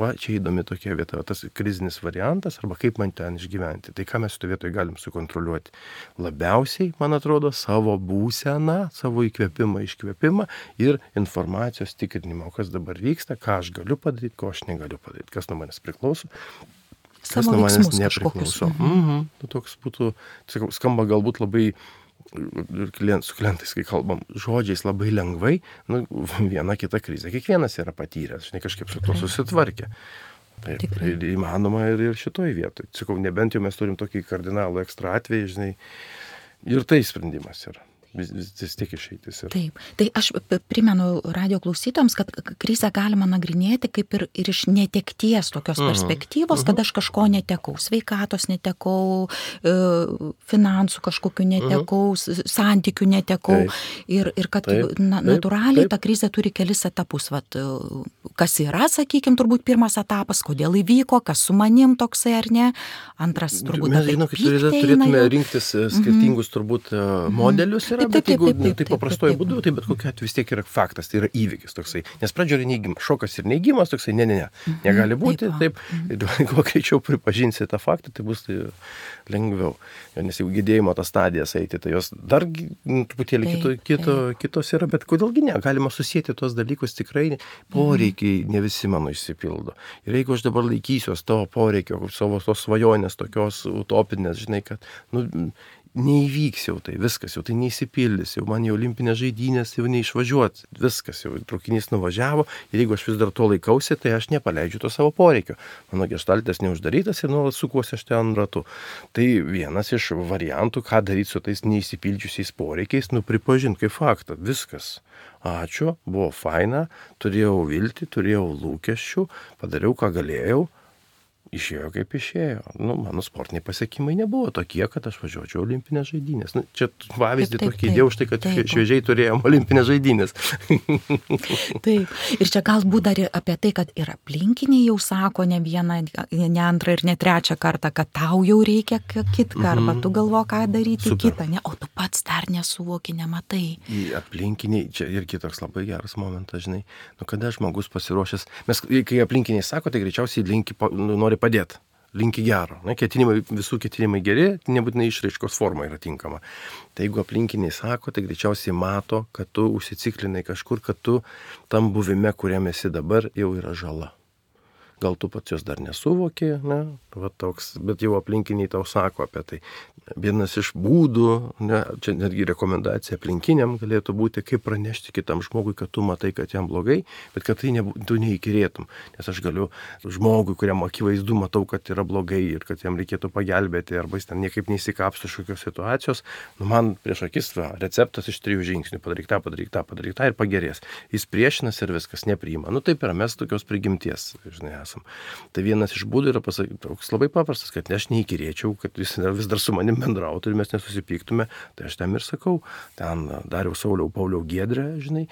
Va čia įdomi tokia vieta, tas krizinis variantas arba kaip man ten išgyventi. Tai ką mes šitoje vietoje galim sukontroliuoti? Labiausiai, man atrodo, savo būseną, savo įkvėpimą, iškvėpimą ir informacijos tikrinimą, kas dabar vyksta, ką aš galiu padaryti, ko aš negaliu padaryti, kas nuo manęs priklauso. Kas nuo manęs nepriklauso. Mhm. Nu, toks būtų, skamba galbūt labai ir klient, su klientais, kai kalbam, žodžiais labai lengvai, nu, viena kita krizė. Kiekvienas yra patyręs, žinai, kažkaip su to susitvarkė. Taip, Tikrai. Ir įmanoma ir, ir šitoj vietoj. Sakau, nebent jau mes turim tokį kardinalų ekstra atvejį, žinai, ir tai sprendimas yra. Vis, vis, vis tiek išeitis yra. Taip. Tai aš primenu radio klausytojams, kad krizę galima nagrinėti kaip ir, ir iš netekties tokios uh-huh. perspektyvos, uh-huh. kad aš kažko netekau, sveikatos netekau, finansų kažkokių netekau, uh-huh. santykių netekau. Taip. Ir, ir kad taip. Na, natūraliai taip. Ta krizė turi kelis etapus. Vat, kas yra, sakykime, turbūt pirmas etapas, kodėl įvyko, kas su manim toksai ar ne. Antras turbūt mes, žinau, turėtume rinktis skirtingus uh-huh. turbūt modelius yra. yra, bet jeigu tai paprastoju būdu, tai bet kokiu atveju vis tiek yra faktas, tai yra įvykis toksai. Nes pradžioje yra neigimas, šokas ir neigimas toksai, ne, ne, ne, negali būti, taip, ir kuo greičiau pripažinsi tą faktą, tai bus tai lengviau. Nes jau gydėjimo tas stadijas eiti, tai jos dar truputėlį kito, kito, kitos yra, bet kodėlgi ne, galima susijęti tuos dalykus tikrai, poreikiai ne visi mano išsipildo. Ir jeigu aš dabar laikysiuos to poreikio, savo tos svajonės, tokios utopinės, žinai, kad, nu, neįvyks jau tai, viskas, jau tai neįsipildys, jau man jau olimpinės žaidynės jau neišvažiuot, viskas, jau traukinys nuvažiavo ir jeigu aš vis dar to laikausi, tai aš nepaleidžiu to savo poreikio. Mano geštaltas neuždarytas ir nuolat sukuosi aš ten ratu. Tai vienas iš variantų, ką daryti su tais neįsipildžiusiais poreikiais, nu pripažinti kaip faktą, viskas. Ačiū, buvo faina, turėjau viltį, turėjau lūkesčių, padariau, ką galėjau. Išėjo kaip išėjo. Nu, mano sportiniai pasiekimai nebuvo tokie, kad aš važiuočiau olimpinės žaidynės. Nu, čia pavyzdį tokį įdėjau už tai, kad taip, šviežiai turėjom olimpinės žaidynės. Taip. Ir čia galbūt dar apie tai, kad ir aplinkiniai jau sako ne vieną, ne antrą ir ne trečią kartą, kad tau jau reikia kitką, mm-hmm. arba tu galvo, ką daryti Super. Kitą, ne? O tu pats dar nesuvoki, nematai. Į aplinkiniai, čia irgi toks labai geras momentas, žinai. Nu, kada žmogus pasiruošęs, mes, kai aplinkiniai sako, tai greičiausiai linki, nu, nori padėti, linki gero. Ne, ketinimai, visų ketinimai geri, nebūtinai išraiškos forma yra tinkama. Tai jeigu aplinkiniai sako, tai greičiausiai mato, kad tu užsiciklinai kažkur, kad tu tam buvime, kuriam esi dabar, jau yra žala. Gal tu pats jos dar nesuvoki, ne, va toks, bet jau aplinkiniai tau sako apie tai. Vienas iš būdų, ne, čia netgi rekomendacija aplinkiniam galėtų būti, kaip pranešti kitam žmogui, kad tu matai, kad jam blogai, bet kad tai ne, tu neįkirėtum. Nes aš galiu žmogui, kuriam akivaizdu matau, kad yra blogai ir kad jam reikėtų pagelbėti, arba jis ten niekaip neįsikapsto šiokios situacijos, nu man prieš akis va, receptas iš trijų žingsnių, padaryk tą, padaryk tą, padaryk tą ir pagerės. Jis priešinas ir viskas nepriima. Nu taip yra, mes tokios prigimties, žinai, esam. Tai vienas iš būdų yra pasakyti, toks labai paprastas, kad ne aš neįkirėčiau, kad jis vis dar su manim bendrautų ir mes nesusipyktume, tai aš tam ir sakau, ten Dariau, Sauliau, Pauliau, Giedrė, žinai,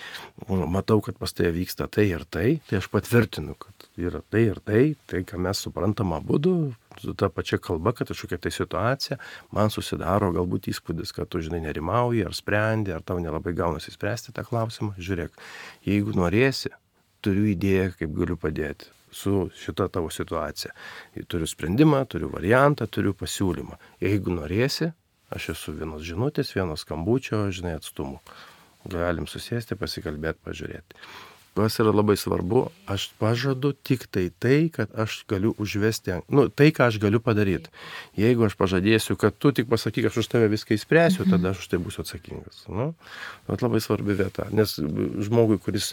matau, kad pas tai vyksta tai ir tai, tai aš patvirtinu, kad yra tai ir tai, tai, ką mes suprantam abudu, su ta pačia kalba, kad kažkokia tai situacija, man susidaro galbūt įspūdis, kad tu, žinai, nerimauji, ar sprendi, ar tau nelabai gaunasi spręsti tą klausimą, žiūrėk, jeigu norėsi, turiu idėją, kaip galiu padėti su šita tavo situacija. Turiu sprendimą, turiu variantą, turiu pasiūlymą. Jeigu norėsi, aš esu vienos žinutės, vienos skambučio, žinai, atstumu. Galim susėsti, pasikalbėti, pažiūrėti. Kas yra labai svarbu, aš pažadu tik tai tai, kad aš galiu užvesti, nu, tai, ką aš galiu padaryti. Jeigu aš pažadėsiu, kad tu tik pasakyk, aš už tave viską įspręsiu, tada aš už tai būsiu atsakingas. Nu, bet labai svarbi vieta, nes žmogui, kuris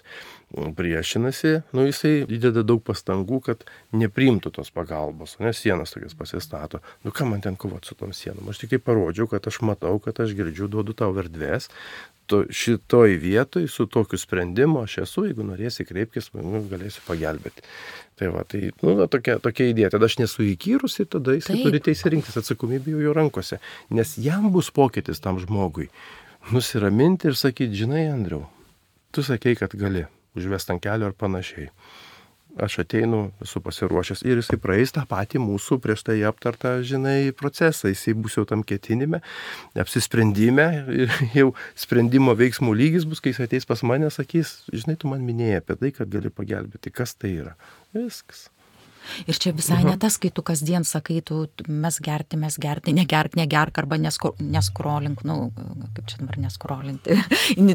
priešinasi, nu, jisai įdeda daug pastangų, kad nepriimtų tos pagalbos, nes sienas tokias pasistato. Nu, ką man ten kovoti su tom sienom? Aš tik tai parodžiau, kad aš matau, kad aš girdžiu, duodu tau erdvės. Šitoj vietoj su tokiu sprendimu aš esu, jeigu norėsi kreipkis, nu, galėsiu pagelbėti. Tai va, tai, nu, tokia, tokia idėja, tada aš nesu įkyrus ir tada jis turi teisę rinktis, atsakomybė jau jo rankose, nes jam bus pokytis tam žmogui. Nusiraminti ir sakyti, žinai, Andriau, tu sakei, kad gali užvesti ant kelio ar panašiai. Aš ateinu, esu pasiruošęs ir jisai praeis tą patį mūsų prieš tai aptartą, žinai, procesą. Jisai bus jau tam ketinime, apsisprendime ir jau sprendimo veiksmų lygis bus, kai jis ateis pas mane, sakys, žinai, tu man minėjai apie tai, kad gali pagelbėti. Kas tai yra? Viskas. Ir čia visai ne tas, kai tu kasdien sakai, tu mes gerti, mes gerti, negerk, negerk arba nesko, neskrolink, nu, kaip čia dabar neskrolinti.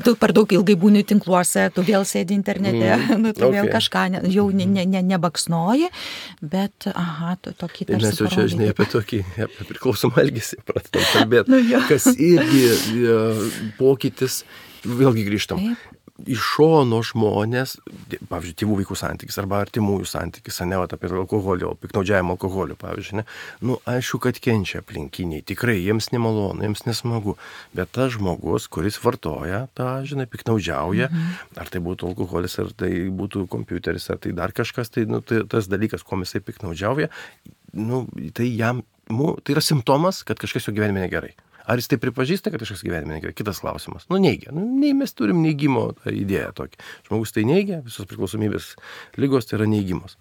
Tu per daug ilgai būni tinkluose, tu vėl sėdi internete, mm. nu, tu okay. vėl kažką ne, jau ne, ne, ne, nebaksnoji, bet, aha, tu tokį tarsi mes jau čia, žinai, apie tokį, apie priklausomą elgesį pradedam kalbėti, nu, kas irgi pokytis, vėlgi grįžtam. Taip. Iš šono žmonės, pavyzdžiui, tėvų vaikų santykis arba artimųjų santykis, ne, apie alkoholio, piknaudžiavimo alkoholiu, pavyzdžiui, ne. Nu, aišku, kad kenčia aplinkiniai, tikrai jiems nemalonu, jiems nesmagu, bet tas žmogus, kuris vartoja tą, žinai, piknaudžiauja, mhm. ar tai būtų alkoholis, ar tai būtų kompiuteris, ar tai dar kažkas, tai, nu, tai tas dalykas, kuo jisai piknaudžiauja, nu, tai jam, nu, tai yra simptomas, kad kažkas jo gyvenime negerai. Ar jis tai pripažįsta, kad kažkas gyvenime negerai? Kitas klausimas. Nu, neigia. Nu, nei mes turim neigimo idėją tokį. Žmogus tai neigia, visos priklausomybės ligos tai yra neigimas.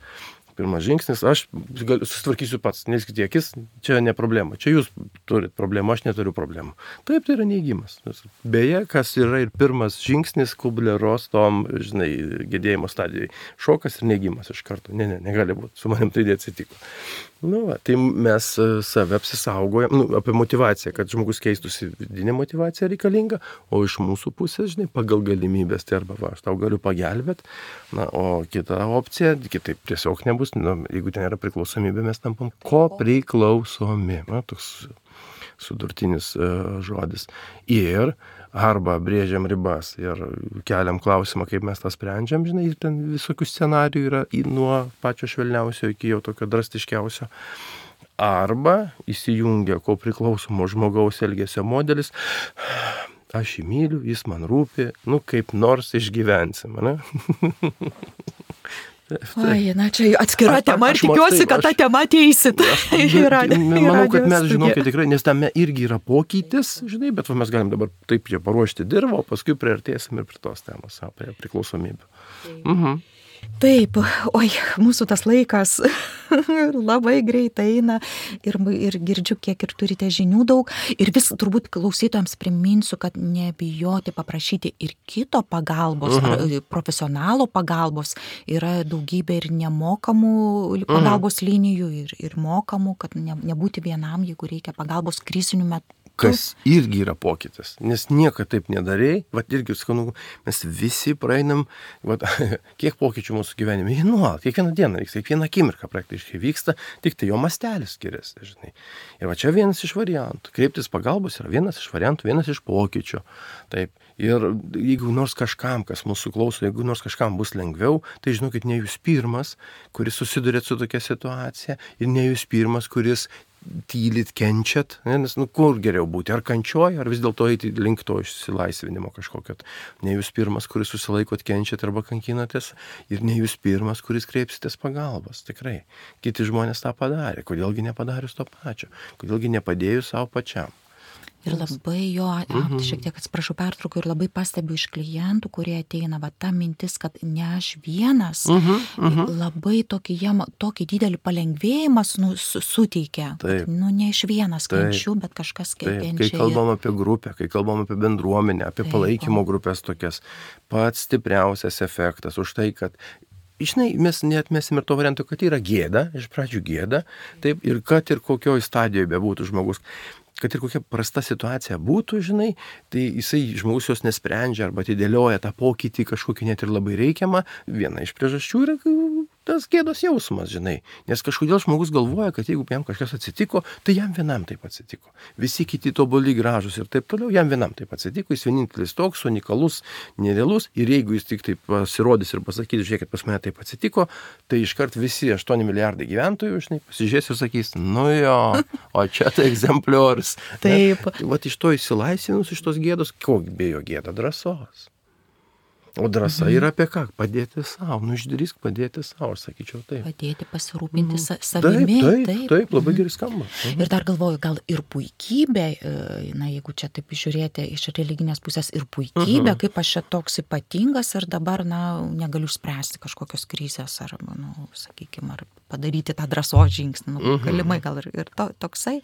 Pirmas žingsnis, aš gal, susitvarkysiu pats, neskite akis, čia ne problema, čia jūs turit problemą, aš neturiu problemų. Taip, tai yra neigimas. Beje, kas yra ir pirmas žingsnis Kubler-Ross tom, žinai, gedėjimo stadijai. Šokas ir neigimas iš karto. Ne, ne, negali būti, su manim tai atsitiko. Nu, va, tai mes save apsisaugojam, nu, apie motivaciją, kad žmogus keistųsi, vidinė motivacija reikalinga, o iš mūsų pusės, žinai, pagal galimybės, tai arba va, aš tau galiu pagelbėti, na, o kita opcija, kitaip tiesiog nebus, nu, jeigu ten yra priklausomybė, mes tampam ko priklausomi, na, toks sudurtinis uh, žodis. Ir arba brėžiam ribas ir keliam klausimą, kaip mes tą sprendžiam, žinai, ir ten visokių scenarijų yra nuo pačio švelniausio iki jau tokio drastiškiausio. Arba įsijungia ko priklausomo žmogaus elgesio modelis, aš jį myliu, jis man rūpi, nu kaip nors išgyvensim, ne? Oi, na čia atskira tema ir tikiuosi, kad tą temą ateisit. Manau, kad mes, žinokit, tikrai, nes tame irgi yra pokytis, žinai, bet va, mes galim dabar taip čia paruošti dirbą, o paskui priartėsim ir prie tos temos, apie priklausomybę. Mhm. Taip, oi, mūsų tas laikas labai greitai eina ir, ir girdžiu, kiek ir turite žinių daug. Ir vis turbūt klausytojams priminsiu, kad nebijoti paprašyti ir kito pagalbos, uh-huh. ar profesionalo pagalbos. Yra daugybė ir nemokamų pagalbos uh-huh. linijų ir, ir mokamų, kad ne, nebūti vienam, jeigu reikia pagalbos krizinių metų. Kas irgi yra pokytis, nes nieko taip nedarei, vat irgi, skanu, mes visi praeinam, vat, kiek pokyčių mūsų gyvenime, jie nuolat, kiekvieną dieną vyksta, kiekvieną akimirką praktiškai vyksta, tik tai jo mastelis skiriasi, žinai. Ir va čia vienas iš variantų, kreiptis pagalbos yra vienas iš variantų, vienas iš pokyčių, taip. Ir jeigu nors kažkam, kas mūsų klauso, jeigu nors kažkam bus lengviau, tai žinokit, ne jūs pirmas, kuris susidurėt su tokia situacija, ir ne jūs pirmas, kuris tylit, kenčiat, ne? Nes nu, kur geriau būti, ar kančioj, ar vis dėlto eiti link to išsilaisvinimo kažkokio. Ne jūs pirmas, kuris susilaikot, kenčiat arba kankinatės, ir ne jūs pirmas, kuris kreipsitės pagalbos, tikrai. Kiti žmonės tą padarė, kodėlgi nepadarius to pačio, kodėlgi nepadėjus savo pačiam. Ir labai jo, mhm. šiek tiek atsiprašau pertraukiu, ir labai pastebiu iš klientų, kurie ateina, va ta mintis, kad ne aš vienas, mhm. Mhm. labai tokį, jam, tokį didelį palengvėjimą nu, suteikia. Kad, nu, ne iš vienas kenčiu, bet kažkas kenčia. Kai kalbam apie grupę, kai kalbam apie bendruomenę, apie Taip, palaikymo grupės tokias, pats stipriausias efektas už tai, kad žinai, mes neatmesim ir to varianto, kad yra gėda, iš pradžių gėda, taip, ir kad ir kokioj stadijoje bebūtų žmogus, kad ir kokia prasta situacija būtų, žinai, tai jisai žmogus jos nesprendžia arba atidėlioja tą pokytį kažkokį net ir labai reikiamą. Viena iš priežasčių yra tas gėdos jausmas, žinai. Nes kažkodėl žmogus galvoja, kad jeigu jam kažkas atsitiko, tai jam vienam taip atsitiko. Visi kiti tobuli, gražus ir taip toliau, jam vienam taip atsitiko, jis vienintelis toks, unikalus, nerealus, ir jeigu jis tik taip pasirodys ir pasakys, žiūrėkit, pas mane taip atsitiko, tai iškart visi aštuoni milijardai gyventojų, žinai, pasižiūrės ir sakys, nu jo, o čia tai egzempliorius. Taip. Vat iš to įsilaisvinus, iš tos gėdos, kokia bejo gėda, drąsos. O drąsa mhm. yra apie ką? Padėti savo. Nu, išdrįsk padėti savo, sakyčiau taip. Padėti, pasirūpinti mhm. savimi. Taip, taip, taip, labai gerai skamba. Mhm. Ir dar galvoju, gal ir puikybė, na, jeigu čia taip žiūrėti iš religinės pusės, ir puikybė, mhm. kaip aš čia toks ypatingas ir dabar, na, negaliu spręsti kažkokios krizės ar, nu, sakykime, ar padaryti tą drąsos žingsnį. Nu, mhm. galimai gal ir, ir to, toksai.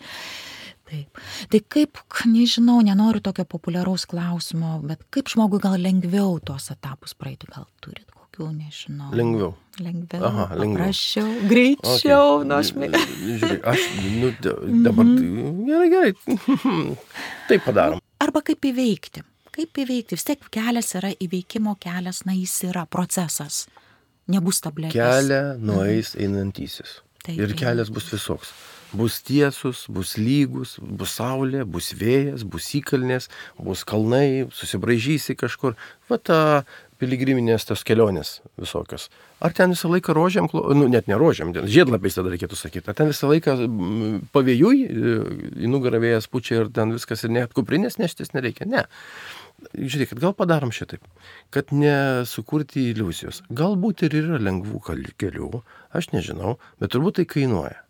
Taip. Tai kaip, nežinau, nenoriu tokio populiaraus klausimo, bet kaip žmogui gal lengviau tuos etapus praeiti, gal turit kokių, nežinau. Lengviau. Lengviau, Aha, lengviau. Paprasčiau, greičiau, okay. nu aš mėgau. Žiūrėk, aš, nu, dabar, mm-hmm. gerai, gerai, taip padarom. Arba kaip įveikti, kaip įveikti, vis tiek kelias yra įveikimo kelias, na jis yra procesas, nebus tabletės. Kelią nueis mhm. einantysis taip, ir kelias bus visoks. Bus tiesus, bus lygus, bus saulė, bus vėjas, bus įkalnės, bus kalnai, susibraižysi kažkur. Va ta piligriminės tos kelionės visokios. Ar ten visą laiką rožiam, nu net ne rožiam, žiedlapiais tada reikėtų sakyti, ar ten visą laiką pavėjui, į nugarą vėjas pučia ir ten viskas ir net kuprinės neštis nereikia, ne. Žiūrėkit, gal padarom šitaip, kad nesukurti iliuzijos. Galbūt ir yra lengvų kelių, aš nežinau, bet turbūt tai kainuoja.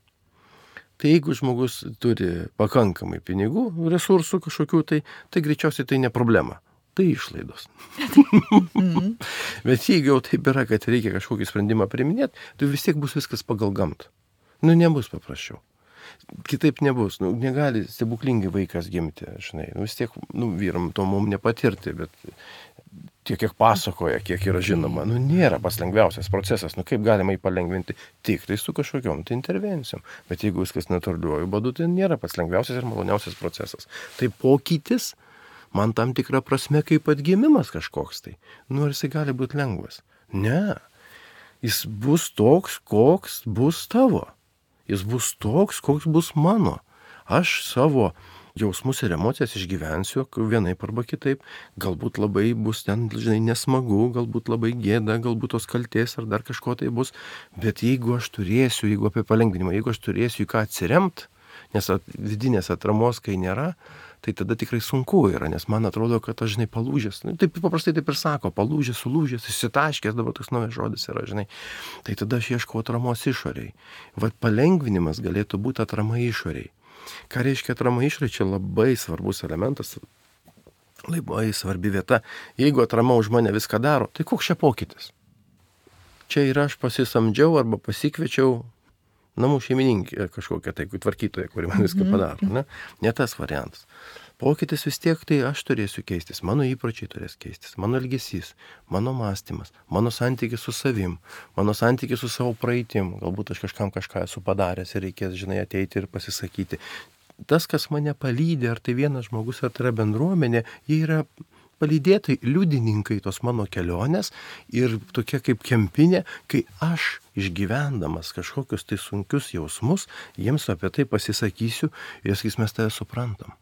Tai jeigu žmogus turi pakankamai pinigų, resursų kažkokių, tai, tai greičiausiai tai ne problema. tai išlaidos. Bet jeigu jau taip yra, kad reikia kažkokį sprendimą priiminėti, tai vis tiek bus viskas pagal gamtą. Nu, nebus paprasčiau. Kitaip nebus. Nu, negali stebuklingai vaikas gimti, žinai. Nu, vis tiek, nu, vyram to mum nepatirti, bet tiek, kiek pasakoja, kiek yra žinoma, nu, nėra pats lengviausias procesas. Nu, kaip galima jį palengvinti? Tik tai su kažkokiom tai intervencijom. Bet jeigu viskas natūraliuoju būdu, tai nėra pats lengviausias ir maloniausias procesas. Tai pokytis man tam tikra prasme kaip atgimimas kažkoks tai. Nu, ar jisai gali būti lengvas? Ne. Jis bus toks, koks bus tavo. Jis bus toks, koks bus mano. Aš savo jausmus ir emocijas išgyvensiu vienaip arba kitaip. Galbūt labai bus ten, žinai, nesmagu, galbūt labai gėda, galbūt tos kaltės ar dar kažko tai bus. Bet jeigu aš turėsiu, jeigu apie palengvinimą, jeigu aš turėsiu į ką atsiremt, nes at, vidinės atramos, kai nėra, tai tada tikrai sunku yra, nes man atrodo, kad aš, žinai, palūžęs. Nu, taip paprastai taip ir sako, palūžęs, sulūžęs, įsitaškęs, dabar toks naujas žodis yra, žinai. Tai tada aš ieškau atramos išoriai. Vat palengvinimas galėtų būti atrama išoriai. Ką reiškia atrama išoriai? Čia labai svarbus elementas, labai svarbi vieta. Jeigu atrama už mane viską daro, tai koks čia pokytis? Čia ir aš pasisamdžiau arba pasikviečiau namų šeimininkė kažkokia tai tvarkytoja, kuri man viską padaro. Ne? Ne tas variantas. Pokytis vis tiek tai aš turėsiu keistis, mano įpročiai turės keistis, mano elgesys, mano mąstymas, mano santykis su savim, mano santykis su savo praeitim. Galbūt aš kažkam kažką esu padaręs ir reikės, žinai, ateiti ir pasisakyti. Tas, kas mane palydė, ar tai vienas žmogus, ar tai yra bendruomenė, jie yra palydėtai, liudininkai tos mano kelionės ir tokia kaip kempinė, kai aš išgyvendamas kažkokius tai sunkius jausmus, jiems apie tai pasisakysiu ir jie sakys, mes tave suprantam.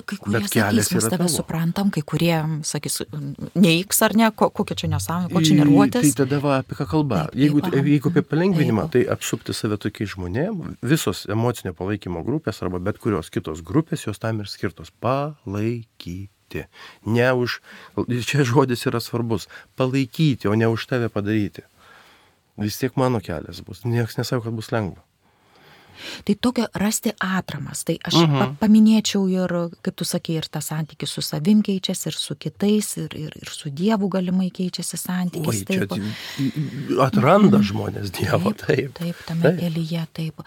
Kai kurie sakys, mes tave suprantam, kai kurie sakys, neiks ar ne, kokia čia nesąmonė, ko čia nervuotis. Tai tada va, apie ką kalba. Taip, jeigu, taip, jeigu apie palengvinimą, taip. Tai apsupti save tokiais žmonėm, visos emocinio palaikymo grupės arba bet kurios kitos grupės, jos tam ir skirtos palaikyti. Ne už, čia žodis yra svarbus, palaikyti, o ne už tave padaryti. Vis tiek mano kelias bus, niekas nesako, kad bus lengva. Tai tokio rasti atramas, tai aš uh-huh. paminėčiau ir, kaip tu sakei, ir tas santykis su savim keičiasi, ir su kitais, ir, ir, ir su Dievu galimai keičiasi santykis. Oi, čia taip. Atranda žmonės Dievą, taip. Taip, taip tame taip. Kelyje, taip.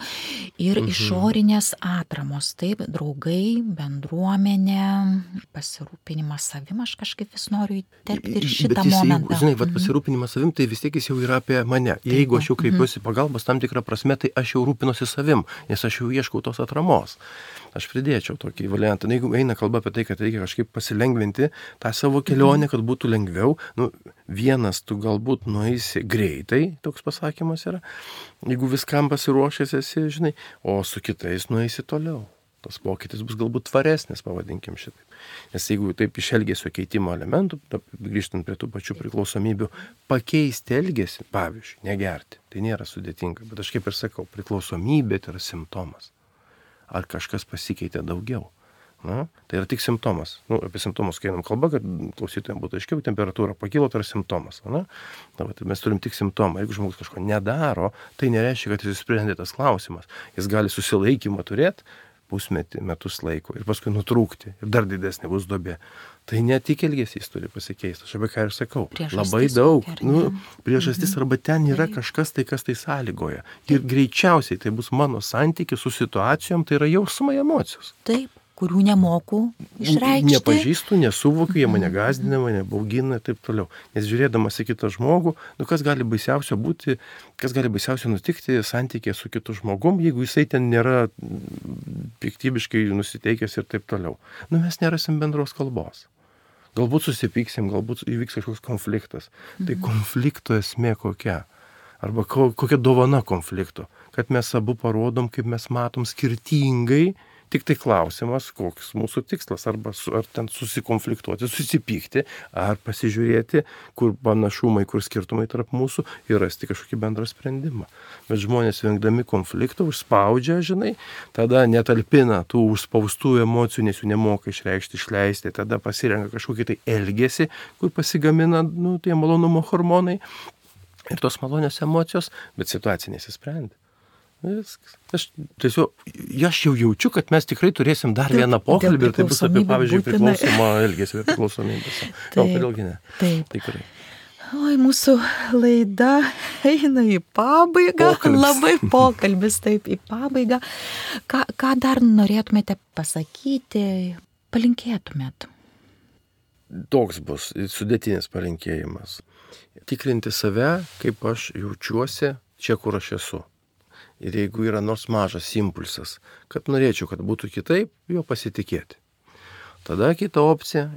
Ir uh-huh. išorinės atramos, taip, draugai, bendruomenė, pasirūpinimas savim, aš kažkaip vis noriu įterpti ir šitą Bet jis, momentą. Jeigu, žinai, vat pasirūpinimas savim, tai vis tiek jis jau yra apie mane. Jeigu aš jau kreipiuosi uh-huh. pagalbos tam tikrą prasme, tai aš jau rūpinuosi savim. Nes aš jau ieškau tos atramos. Aš pridėčiau tokį variantą. Jeigu eina kalba apie tai, kad reikia kažkaip pasilengvinti tą savo kelionę, kad būtų lengviau, nu, vienas tu galbūt nueisi greitai, toks pasakymas yra, jeigu viskam pasiruošęs esi, žinai, o su kitais nueisi toliau. Tas pokytis bus galbūt tvaresnis, pavadinkim šitaip. Nes jeigu taip iš elgesio keitimo elementų, grįžtant prie tų pačių priklausomybių, pakeisti elgesį, pavyzdžiui, negerti, tai nėra sudėtinga. Bet aš kaip ir sakau, priklausomybė tai yra simptomas. Ar kažkas pasikeitė daugiau? Na, tai yra tik simptomas. Nu, apie simptomus, kai einam kalba, kad klausytojams būtų aiškiau, temperatūra pakilo, tai yra simptomas. Na, na, tai mes turim tik simptomą. Jeigu žmogus kažko nedaro, tai nereiškia, kad jis sprendė tas klausimas. Jis gali susilaikymą turėti pusmetį, metus laiko ir paskui nutrūkti ir dar didesnė bus duobė. Tai ne tik elgesys turi pasikeisti, aš apie ką ir sakau. Priežastis labai daug. kokia, Nu, priežastis mhm. arba ten yra Taip. kažkas tai, kas tai sąlygoja. Ir greičiausiai tai bus mano santykis su situacijom, tai yra jausmai, emocijos. Taip, kurių nemoku išreikšti. Nepažįstu, nesuvokiu, jie mane gąsdina, mane baugina ir taip toliau. Nes žiūrėdamas į kitą žmogų, nu kas gali baisiausio būti, kas gali baisiausio nutikti santykėje su kitu žmogum, jeigu jisai ten nėra piktybiškai nusiteikęs ir taip toliau. Nu mes nerasim bendros kalbos. Galbūt susipyksim, galbūt įvyks kažkoks konfliktas. Mhm. Tai konflikto esmė kokia? Arba ko, kokia dovana konflikto? Kad mes abu parodom, kaip mes matom skirtingai. Tik tai klausimas, koks mūsų tikslas, arba su, ar ten susikonfliktuoti, susipykti, ar pasižiūrėti, kur panašumai, kur skirtumai tarp mūsų ir rasti kažkokį bendrą sprendimą. Bet žmonės vengdami konflikto užspaudžia, žinai, tada netalpina tų užspaustų emocijų, nes jų nemoka išreikšti, išleisti, tada pasirenka kažkokį tai elgesį, kur pasigamina, nu, tie malonumo hormonai ir tos malonios emocijos, bet situacija nesisprendė. Viskas. Aš tiesiog, aš jau jaučiu, kad mes tikrai turėsim dar Taip, vieną pokalbį ir tai bus apie, pavyzdžiui, priklausomą elgesį ir priklausomybės. Gal, kodėlgi ne? Taip. Tikrai. Oi, mūsų laida eina į pabaigą. Pokalbis. Labai pokalbis, taip, į pabaigą. Ką, ką dar norėtumėte pasakyti, palinkėtumėt? Toks bus sudėtinis palinkėjimas. Tikrinti save, kaip aš jaučiuosi čia, kur aš esu. Ir jeigu yra nors mažas impulsas, kad norėčiau, kad būtų kitaip, jo pasitikėti. Tada kita opcija,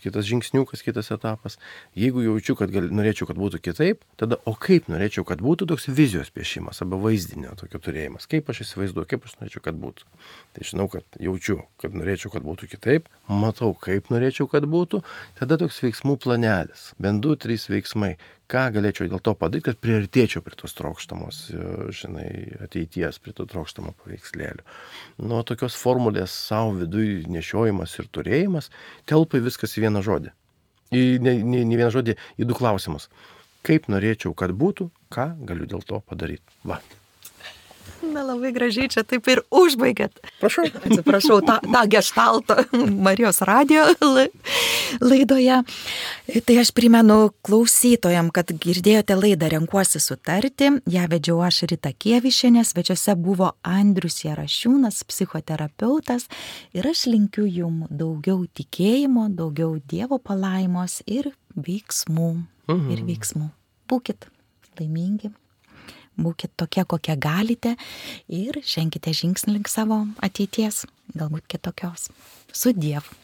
kitas žingsniukas, kitas etapas. Jeigu jaučiu, kad gal, norėčiau, kad būtų kitaip, tada o kaip norėčiau, kad būtų toks vizijos piešimas arba vaizdinio tokio turėjimas. Kaip aš įsivaizduoju, kaip aš norėčiau, kad būtų. Tai žinau, kad jaučiu, kad norėčiau, kad būtų kitaip, matau, kaip norėčiau, kad būtų, tada toks veiksmų planelis. Bent du, trys veiksmai. Ką galėčiau dėl to padaryti, kad priartėčiau prie tos trokštamos, žinai, ateities, prie to trokštamo paveikslėlio. Nuo tokios formulės savo viduje nešiojimas ir turėjimas telpa viskas į vieną žodį. Į ne, ne, ne vieną žodį, į du klausimus. Kaip norėčiau, kad būtų, ką galiu dėl to padaryti. Va. Na, labai gražiai čia taip ir užbaigėt. Prašau. Atsiprašau, tą, tą geštaltą Marijos radijo laidoje. Tai aš primenu klausytojam, kad girdėjote laidą Renkuosi sutarti. Ja vedžiau aš Rita Kievišienė, svečiuose buvo Andrius Jarašiūnas, psichoterapeutas. Ir aš linkiu jum daugiau tikėjimo, daugiau Dievo palaimos ir veiksmų. Mhm. Ir veiksmų. Būkit laimingi. Būkit tokie, kokie galite ir ženkite žingsnį link savo ateities, galbūt kitokios. Su Dievu.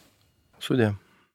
Su Dievu.